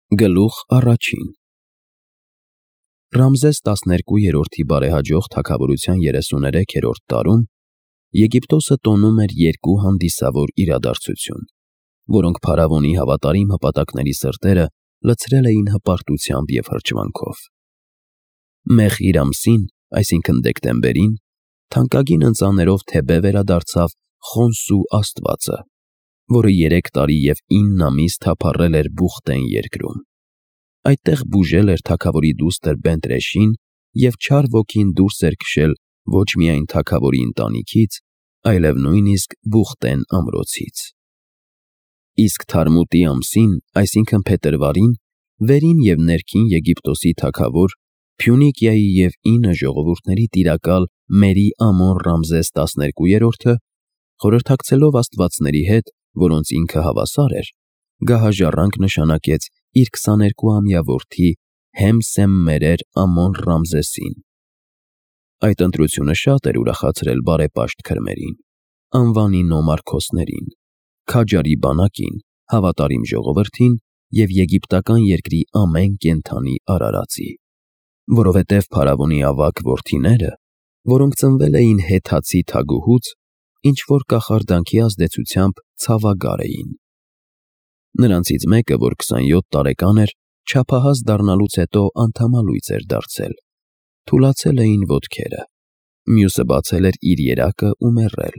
Գլուխ առաջին Ռամզես 12-րդի բարեհաջող թագավորության 33-րդ տարում Եգիպտոսը տոնում էր երկու հանդիսավոր իրադարձություն, որոնք փարավոնի հավատարիմ հպատակների սրտերը լցրել էին հպարտությամբ և հրճվանքով։ Մեխիր ամսին, այսինքն դեկտեմբերին, թանկագին ընծաներով Թեբե վերադարձավ Խոնսու աստվածը, որը 3 տարի և 9 ամիս թափառել էր Բուխտեն երկրում։ Այդտեղ բուժել էր թագավորի դուստր Բենտրեշին և չար ոգին դուրս էր քշել ոչ միայն թագավորի ընտանիքից, այլև նույնիսկ Բուխտեն ամրոցից։ Իսկ Թարմուտի ամսին, այսինքն փետրվարին, վերին և ներքին Եգիպտոսի թագավոր, Փյունիկիայի և 9 ժողովուրդների տիրակալ Մերի Ամոն Ռամզես 12-րդը, խորհրդակցելով աստվածների հետ, որոնց ինքը հավասար էր, գահաժառանգ նշանակեց իր 22-ամյա որդի Հեմսեմմերեր Ամոն Ռամզեսին։ Այդ ընտրությունը շատ էր ուրախացրել բարեպաշտ քրմերին, անվանի նոմարքոսներին, քաջարի բանակին, հավատարիմ ժողովրդին և եգիպտական երկրի ամեն կենդանի արարածի, որովհետև փարավոնի ավագ որդիները, որոնք ծնվել էին Հեթացի թագուհուց, ինչ-որ կախարդանքի ազդեցությամբ ցավագար էին։ Նրանցից մեկը, որ 27 տարեկան էր, չափահաս դառնալուց հետո անդամալույծ էր դարձել, թուլացել էին ոտքերը, մյուսը բացել էր իր երակը ու մեռել,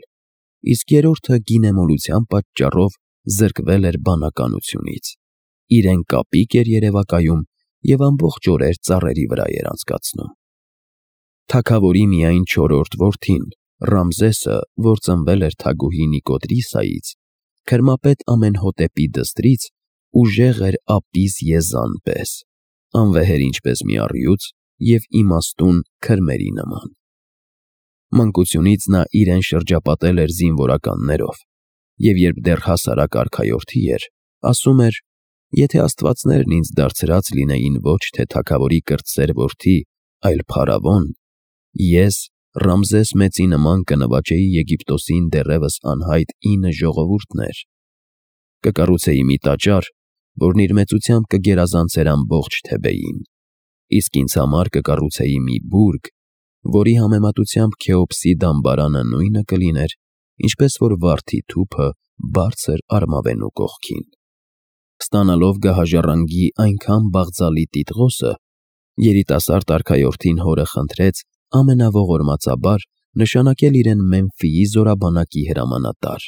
իսկ երրորդը գինեմոլության պատճառով զրկվել էր բանականությունից, իրեն կապիկ էր երևակայում և ամբողջ օրեր ծառերի վրա էր անցկացնում։ Թագավորի միայն 4-րդ որդին, Ռամզեսը, որ ծնվել էր թագուհի Նիկոդրիսայից, քրմապետ Ամենհոտեպի դստրից, ուժեղ էր Ապիս Եզան պես, անվեհեր ինչպես մի առյուծ և իմաստուն քրմերի նման։ Մանկությունից նա իրեն շրջապատել էր զինվորականներով, և երբ դեռ հասարակ արքայորդի էր, ասում էր. «Եթե աստվածներն ինձ դարձրած լինեին ոչ թե թագավորի կրտսեր որդի, այլ փարավոն, ես Ռամզես մեծի նման կնվաճեի Եգիպտոսին դեռևս անհայտ 9 ժողովուրդներ, կկառուցեի մի տաճար, որն իր մեծությամբ կգերազանցեր ամբողջ Թեբեին, իսկ ինձ համար կկառուցեի մի բուրգ, որի համեմատությամբ Քեոպսի դամբարանը նույնը կլիներ, ինչպես որ վարդի թուփը բարձր արմավենու կողքին»։ Ստանալով գահաժառանգի այնքան բաղձալի տիտղոսը, երիտասարդ արքայորդին հորը խնդրեց ամենաողորմածաբար նշանակել իրեն Մեմֆիի զորաբանակի հրամանատար,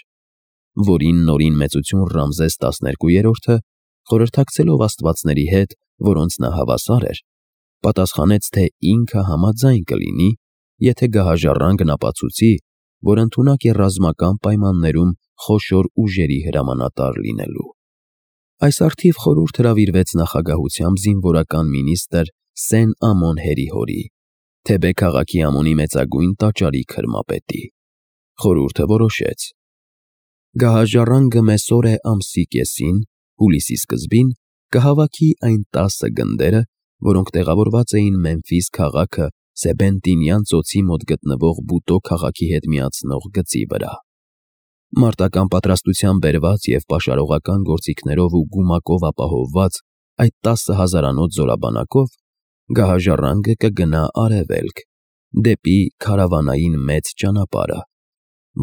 որին նորին մեծություն Ռամզես 12-րդը, խորհրդակցելով աստվածների հետ, որոնց նա հավասար էր, պատասխանեց, թե ինքը համաձայն կլինի, եթե գահաժառանգն ապացուցի, որ ընդունակ է ռազմական պայմաններում խոշոր ուժերի հրամանատար լինելու։ Այս առթիվ խորհուրդ հրավիրվեց նախագահությամբ զինվորական մինիստրը Սեն-Ամոն Հերի-հորի, Թեբե քաղաքի Ամոնի մեծագույն տաճարի քրմապետի։ Խորհուրդը որոշեց. գահաժառանգը Մեսորե ամսի կեսին, հուլիսի սկզբին, կհավաքի այն 10 գնդերը, որոնք տեղավորված էին Մեմֆիս քաղաքը Սեբենտինյան ծոցի մոտ գտնվող Բուտո քաղաքի հետ միացնող գծի վրա։ Մարտական պատրաստության բերված և պաշարողական գործիքներով ու գումակով ապահովված այդ 10 հազարանոց զորաբանակով գահաժառանգը կգնա արևելք, դեպի քարավանային մեծ ճանապարհը,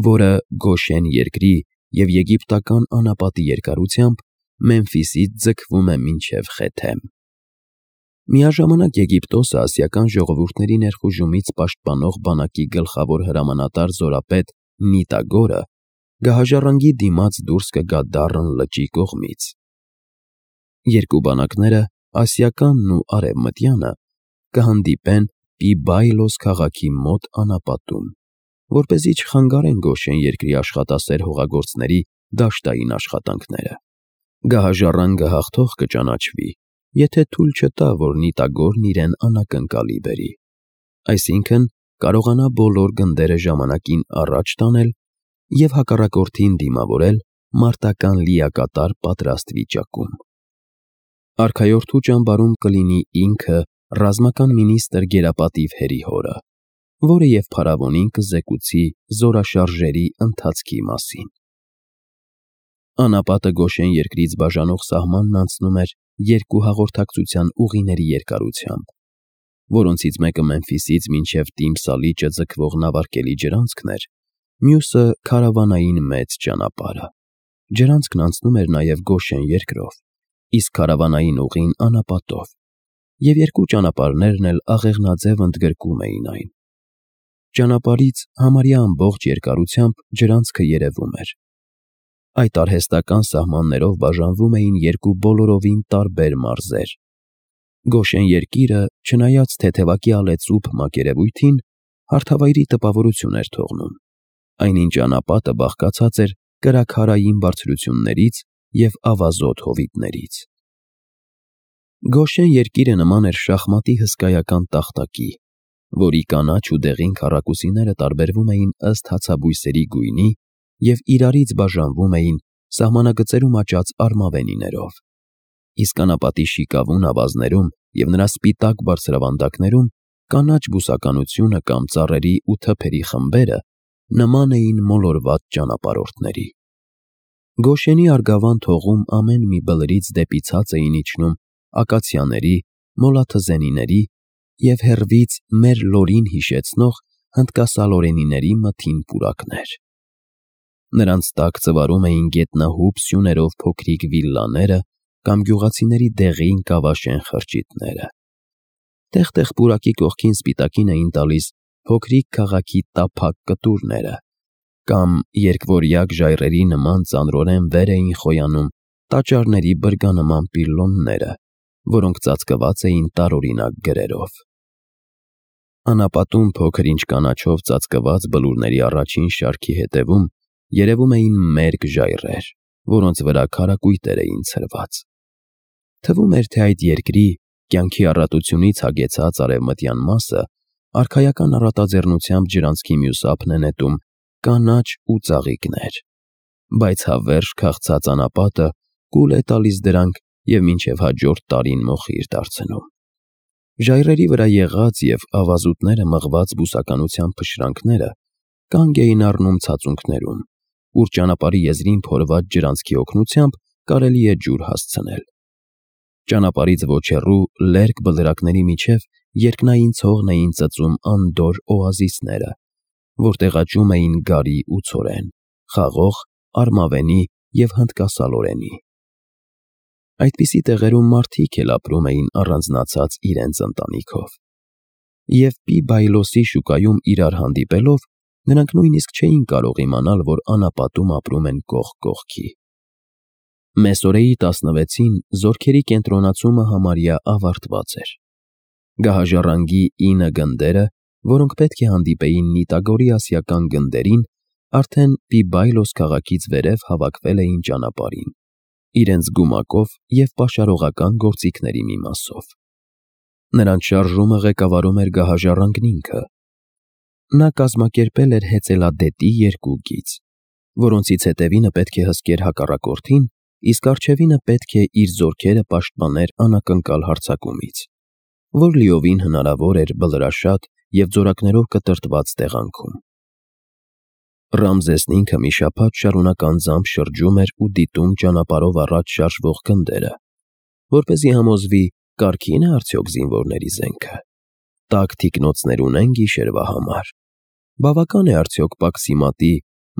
որը Գոշեն երկրի և եգիպտական անապատի երկարությամբ Մեմֆիսից ձգվում է մինչև Խեթեմ։ Միաժամանակ Եգիպտոսը ասիական ժողովուրդների ներխուժումից պաշտպանող բանակի գլխավոր հրամանատար զորապետ Նիտագորը գահաժառանգի դիմաց դուրս կգա Դառն լճի կողմից։ Երկու բանակները, ասիականն ու արևմտյանը, կհանդիպեն Պիբայլոս քաղաքի մոտ անապատում, որպեսզի չխանգարեն Գոշեն երկրի աշխատասեր հողագործների դաշտային աշխատանքները։ Գահաժառանգը հաղթող կճանաչվի, եթե թույլ չտա, որ Նիտագորն իրեն անակնկալի բերի, այսինքն կարողանա բոլոր գնդերը ժամանակին առաջ տանել և հակառակորդին դիմավորել մարտական լիակատար պատրաստ վիճակում։ Արքայորդու ճամբարում կլինի ինքը ռազմական մինիստր գերապատիվ Հերի-հորը, որը և փարավոնին կզեկուցի զորաշարժերի ընթացքի մասին։ Անապատը Գոշեն երկրից բաժանող սահմանն անցնում էր երկու հաղորդակցության ուղիների երկարությամբ, որոնցից մեկը Մեմֆիսից մինչև Տիմսալիճը ձգվող նավարկելի ջրանցքն էր, մյուսը քարավանային մեծ ճանապարհը։ Ջրանցքն անցնում էր նաև Գոշեն երկրով, իսկ քարավանային ուղին անապատով, և երկու ճանապարհներն էլ աղեղնաձև ընդգրկում էին այն։ Ճանապարհից համարյա ամբողջ երկարությամբ ջրանցքը երևում էր։ Այդ արհեստական սահմաններով բաժանվում էին երկու բոլորովին տարբեր մարզեր։ Գոշեն երկիրը, չնայած թեթևակի ալեծուփ մակերևույթին, հարթավայրի տպավորություն էր թողնում, այնինչ անապատը բաղկացած էր կրաքարային բարձրություններից և ավազոտ հովիտներից։ Գոշեն երկիրը նման էր շախմատի հսկայական տախտակի, որի կանաչ ու դեղին քառակուսիները տարբերվում էին ըստ հացաբույսերի գույնի և իրարից բաժանվում էին սահմանագծերում աճած արմավենիներով, իսկ անապատի շիկավուն ավազներում և նրա սպիտակ բարձրավանդակներում կանաչ բուսականությունը կամ ծառերի ու թփերի խմբերը նման էին մոլորված ճանապարհորդների։ Գոշենի արգավանդ հողում ամեն մի բլրից դեպի ցած էին իջնում ակացիաների, մոլաթզենիների և հեռվից մեր լորին հիշեցնող հնդկասալորենիների մթին պուրակներ։ Նրանց տակ ծվարում էին գետնահուպ սյուներով փոքրիկ վիլլաները կամ գյուղացիների դեղին կավաշեն խրճիթները։ Տեղ-տեղ պուրակի կողքին սպիտակին էին տալիս փոքրիկ քաղաքի տափակ կտուրները, կամ երկվորյակ ժայռերի նման ծանրորեն վեր էին խոյանում տաճարների բրգանման պիլոնները, որոնք ծածկված էին տարօրինակ գրերով։ Անապատում փոքր-ինչ կանաչով ծածկված բլուրների առաջին շարքի հետևում երևում էին մերկ ժայռեր, որոնց վրա քարակույտեր էին ցրված։ Թվում էր, թե այդ երկրի կյանքի առատությունից հագեցած արևմտյան մասը արքայական առատաձեռնությամբ ջրանցքի մյուս ափն է նետում կանաչ ու ծաղիկներ, բայց հավերժ քաղցած անապատը կուլ է տալիս դրանք և մինչև հաջորդ տարին մոխիր դարձնում։ Ժայռերի վրա եղած և ավազուտները մղված բուսականության փշրանքները կանգ էին առնում ցածունքներում, ուր ճանապարհի եզրին փորված ջրանցքի օգնությամբ կարելի է ջուր հասցնել։ Ճանապարհից ոչ հեռու լերկ բլրակների միջև երկնային ցողն էին ծծում անդորր օազիսները, որտեղ աճում էին գարի ու ցորեն, խաղող, արմավենի և հնդկասալորենի։ Այդպիսի տեղերում մարդիկ էլ ապրում էին առանձնացած իրենց ընտանիքով, և Պի-Բայլոսի շուկայում իրար հանդիպելով նրանք նույնիսկ չէին կարող իմանալ, որ անապատում ապրում են կողք կողքի։ Մեսօրեի 16-ին զորքերի կենտրոնացումը համարյա ավարտված էր։ Գահաժառանգի 9 գնդերը, որոնք պետք է հանդիպեին Նիտագորի ասիական գնդերին, արդեն Պի-Բայլոս քաղաքից վերև հավաքվել էին ճանապարհին, իրենց գումակով և պաշարողական գործիքների մի մասով։ Նրանց շարժումը ղեկավարում էր գահաժառանգն ինքը։ Նա կազմակերպել էր հեծելադետի 2 գիծ, որոնցից հետևինը պետք է հսկեր հակառակորդին, իսկ առջևինը պետք է իր զորքերը պաշտպաներ անակնկալ հարձակումից, որ լիովին հնարավոր էր բլրաշատ և ձորակներով կտրտված տեղանքում։ Ռամզեսն ինքը մի շաբաթ շարունակ անձամբ շրջում էր ու դիտում ճանապարհով առաջ շարժվող գնդերը, որպեսզի համոզվի կարգին է արդյոք զինվորների զենքը, տաք թիկնոցներ ունեն գիշերվա համար, բավական է արդյոք պաքսիմատի,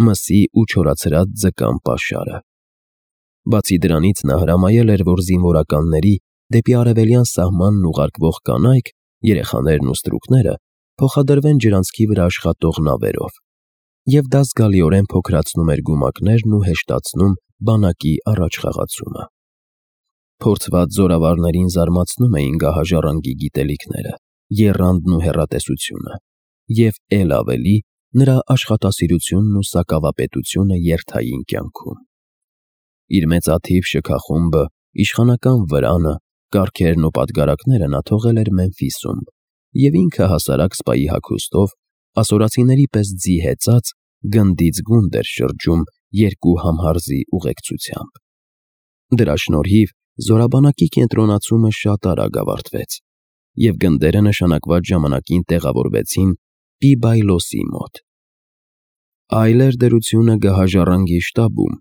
մսի ու չորացրած ձկան պաշարը։ Բացի դրանից նա հրամայել էր, որ զինվորականների դեպի արևելյան սահմանն ուղարկվող կանայք, երեխաներն ու ստրուկները փոխադրվեն ջրանցքի վրա աշխատող նավերով, և դա զգալիորեն փոքրացնում էր գումակներն ու հեշտացնում բանակի առաջխաղացումը։ Փորձված զորավարներին զարմացնում էին գահաժառանգի գիտելիքները, եռանդն ու հեռատեսությունը, և էլ ավելի նրա աշխատասիրությունն ու սակավապետությունը երթային կյանքում։ Իր մեծաթիվ շքախումբը, իշխանական վրանը, կառքերն ու պատգարակները նա թողել էր Մեմֆիսում և ինքը հասարակ սպայի հագուստով, ասորացիների պես ձի հեծած, գնդից գունդ էր շրջում 2 համհարզի ուղեկցությամբ։ Դրա շնորհիվ զորաբանակի կենտրոնացումը շատ արագ ավարտվեց, և գնդերը նշանակված ժամանակին տեղավորվեցին Պի-Բայլոսի մոտ։ Այլ էր դրությունը գահաժառանգի շտաբում,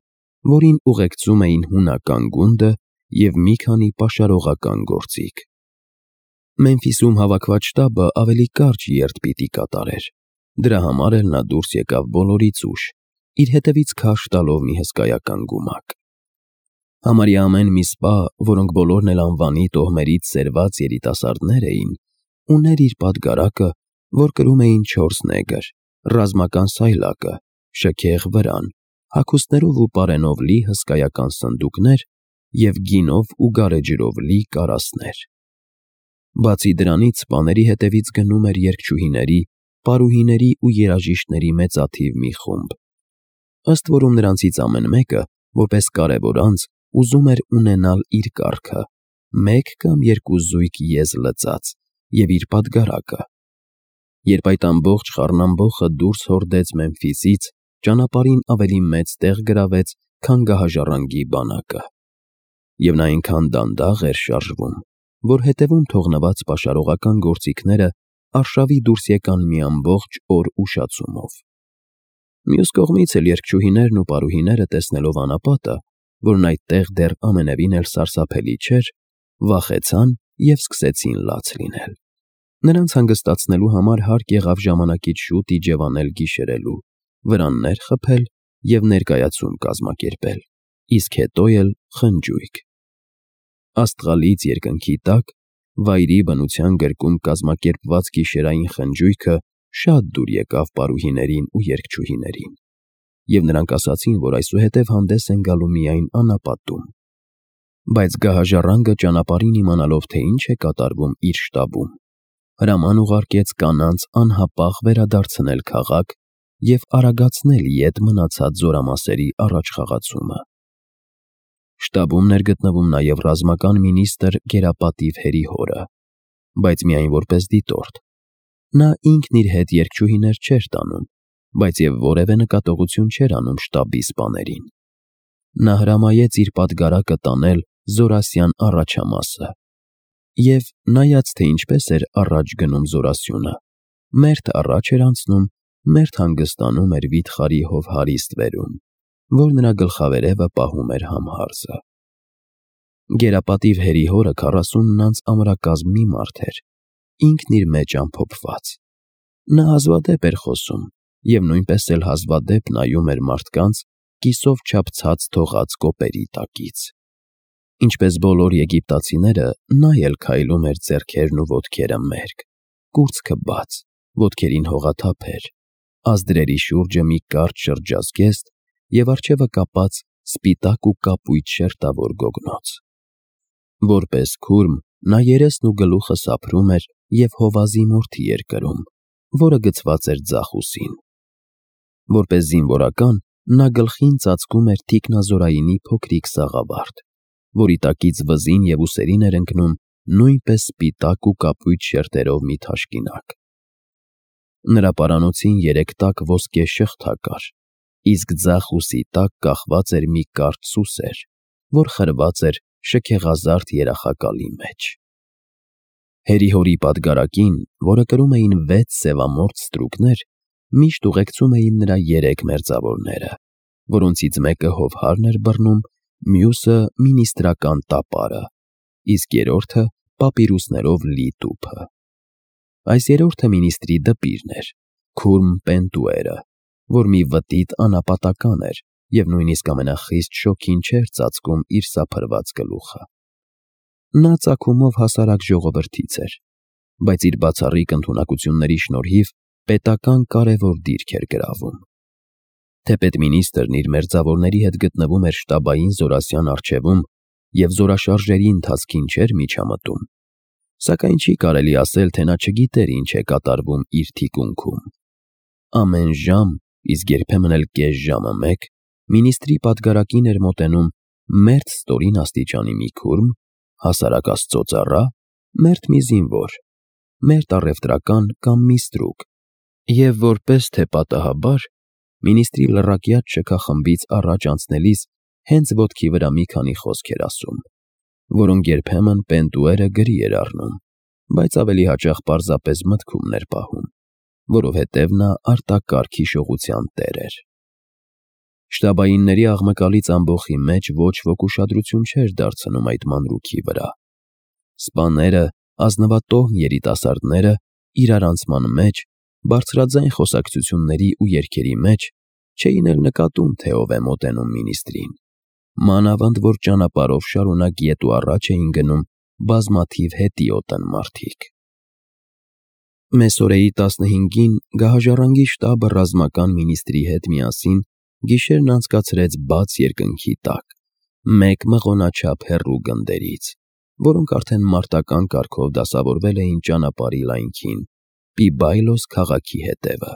որին ուղեկցում էին հունական գունդը և մի քանի պաշարողական գործիք։ Մեմֆիսում հավաքված շտաբը ավելի կարճ երթ պիտի կատարեր, դրա համար էլ նա դուրս եկավ բոլորից ուշ, իր հետևից քարշ տալով մի հսկայական գումակ։ Համարյա ամեն մի սպա, որոնք բոլորն էլ անվանի տոհմերից սերված երիտասարդներ էին, ուներ իր պատգարակը, որ կրում էին 4 նեգր, ռազմական սայլակը, շքեղ վրան, հագուստներով ու պարենով լի հսկայական սնդուկներ և գինով ու գարեջրով լի կարասներ։ Բացի դրանից սպաների հետևից գնում էր երգչուհիների, պարուհիների ու երաժիշտների մեծաթիվ մի խումբ, ըստ որում նրանցից ամեն մեկը, որպես կարևոր անձ, ուզում էր ունենալ իր կառքը, 1 կամ 2 զույգ եզ լծած և իր պատգարակը։ Երբ այդ ամբողջ խառնամբոխը դուրս հորդեց Մեմֆիսից, ճանապարհին ավելի մեծ տեղ գրավեց, քան գահաժառանգի բանակը։ Եվ նա այնքան դանդաղ էր շարժվում, որ հետևում թողնված պաշարողական գործիքները արշավի դուրս եկան մի ամբողջ օր ուշացումով։ Մյուս կողմից էլ երգչուհիներն ու պարուհիները, տեսնելով անապատը, որն այդտեղ դեռ ամենևին էլ սարսափելի չէր, վախեցան և սկսեցին լաց լինել։ Նրանց հանգստացնելու համար հարկ եղավ ժամանակից շուտ իջևանել գիշերելու, վրաններ խփել և ներկայացում կազմակերպել, իսկ հետո էլ խնջույք։ Աստղալից երկնքի տակ վայրի բնության գրկում կազմակերպված գիշերային խնջույքը շատ դուր եկավ պարուհիներին ու երգչուհիներին, և նրանք ասացին, որ այսուհետև հանդես են գալու միայն անապատում։ Բայց գահաժառանգը, ճանապարհին իմանալով, թե ինչ է կատարվում իր շտաբում, հրաման ուղարկեց կանանց անհապաղ վերադարձնել քաղաք և արագացնել ետ մնացած զորամասերի առաջխաղացումը։ Շտաբում ներգտնվում նաև ռազմական մինիստրը գերապատիվ Հերիհորը, բայց միայն որպես դիտորդ։ Նա ինքն իր հետ երգչուհիներ չէր տանում, բայց և որևէ նկատողություն չէր անում շտաբի սպաներին։ Նա հրամայեց իր պատգարակը տանել Զորասյան առաջամասը, և, նայած թե ինչպես էր առաջ գնում զորասյունը, մերթ առաջ էր անցնում, մերթ հանգստանում էր վիթխարի հովհարիստ վերում, որ նրա գլխավերևը պահում էր համհարզը։ Գերապատիվ Հերիհորը 40 անց ամրակազմ մի մարդ էր, ինքն իր մեջ ամփոփված։ Նա հազվադեպ էր խոսում և նույնպես էլ հազվադեպ նայում էր մարդկանց կիսով չափ թողած կոպերի տակից։ Ինչպես բոլոր եգիպտացիները, նա էլ քայլում էր ձեռքերն ու ոտքերը մերկ, կուրծքը բաց, ոտքերին հողաթափեր, ազդրերի շուրջը մի կարճ շրջազգեստ և առջևը կապած սպիտակ ու կապույտ շերտավոր գոգնոց։ Որպես քուրմ նա երեսն ու գլուխը սափրում էր և հովազի մորթի էր կրում, որը գցված էր ձախ ուսին։ Որպես զինվորական նա գլխին ծածկում էր թիկնազորայինի փոքրիկ սաղավարտ, որի տակից վզին և ուսերին էր ընկնում նույնպես սպիտակ ու կապույտ շերտերով մի թաշկինակ։ Նրա պարանոցին 3 տակ ոսկե շղթա կար, իսկ ձախ ուսի տակ կախված էր մի կարճ սուսեր, որ խրված էր շքեղազարդ երախակալի մեջ։ Հերիհորի պատգարակին, որը կրում էին 6 սևամորթ ստրուկներ, միշտ ուղեկցում էին նրա 3 մերձավորները, որոնցից մեկը հովհարն էր բռնում, մյուսը մինիստրական տապարը, իսկ երրորդը պապիրուսներով լի տուփը։ Այս երրորդը մինիստրի դպիրն էր, քուրմ Պենտուերը, որ մի վտիտ անապատական էր և նույնիսկ ամենախիստ շոգին չէր ծածկում իր սափրված գլուխը։ Նա ծագումով հասարակ ժողովրդից էր, բայց իր բացառիկ ընդունակությունների շնորհիվ պետական կարևոր դիրք էր գրավում։ Թեպետ մինիստրն իր մերձավորների հետ գտնվում էր շտաբային զորասյան առջևում և զորաշարժերի ընթացքին չէր միջամտում, սակայն չի կարելի ասել, թե նա չգիտեր ինչ է կատարվում իր թիկունքում։ Ամեն ժամ, իսկ երբեմն էլ կես ժամը մեկ, մինիստրի պատգարակին էր մոտենում մերթ ստորին աստիճանի մի քուրմ, հասարակ աստծո ծառա, մերթ մի զինվոր, մերթ առևտրական կամ մի ստրուկ, և որպես թե պատահաբար, մինիստրի լռակյաց շքախմբից առաջ անցնելիս հենց ոտքի վրա մի քանի խոսք էր ասում, որոնք երբեմն Պենտուերը գրի էր առնում, բայց ավելի հաճախ պարզապես մտքում էր պահում, որովհետև նա արտակարգ հիշողության տեր էր։ Շտաբայինների աղմկալից ամբոխի մեջ ոչ ոք ուշադրություն չէր դարձնում այդ մանրուքի վրա։ Սպաները, ազնվատոհմ երիտասարդները իրարանցման մեջ, բարձրաձայն խոսակցությունների ու երգերի մեջ չէին էլ նկատում, թե ով է մոտենում մինիստրին, մանավանդ որ ճանապարհով շարունակ ետ ու առաջ էին գնում բազմաթիվ հետիոտն մարդիկ։ Մեսօրեի 15-ին գահաժառանգի շտաբը ռազմական մինիստրի հետ միասին գիշերն անցկացրեց բաց երկնքի տակ, մեկ մղոնաչափ հեռու գնդերից, որոնք արդեն մարտական կարգով դասավորվել էին ճանապարհի լայնքին՝ Պիբայլոս քաղաքի հետևը։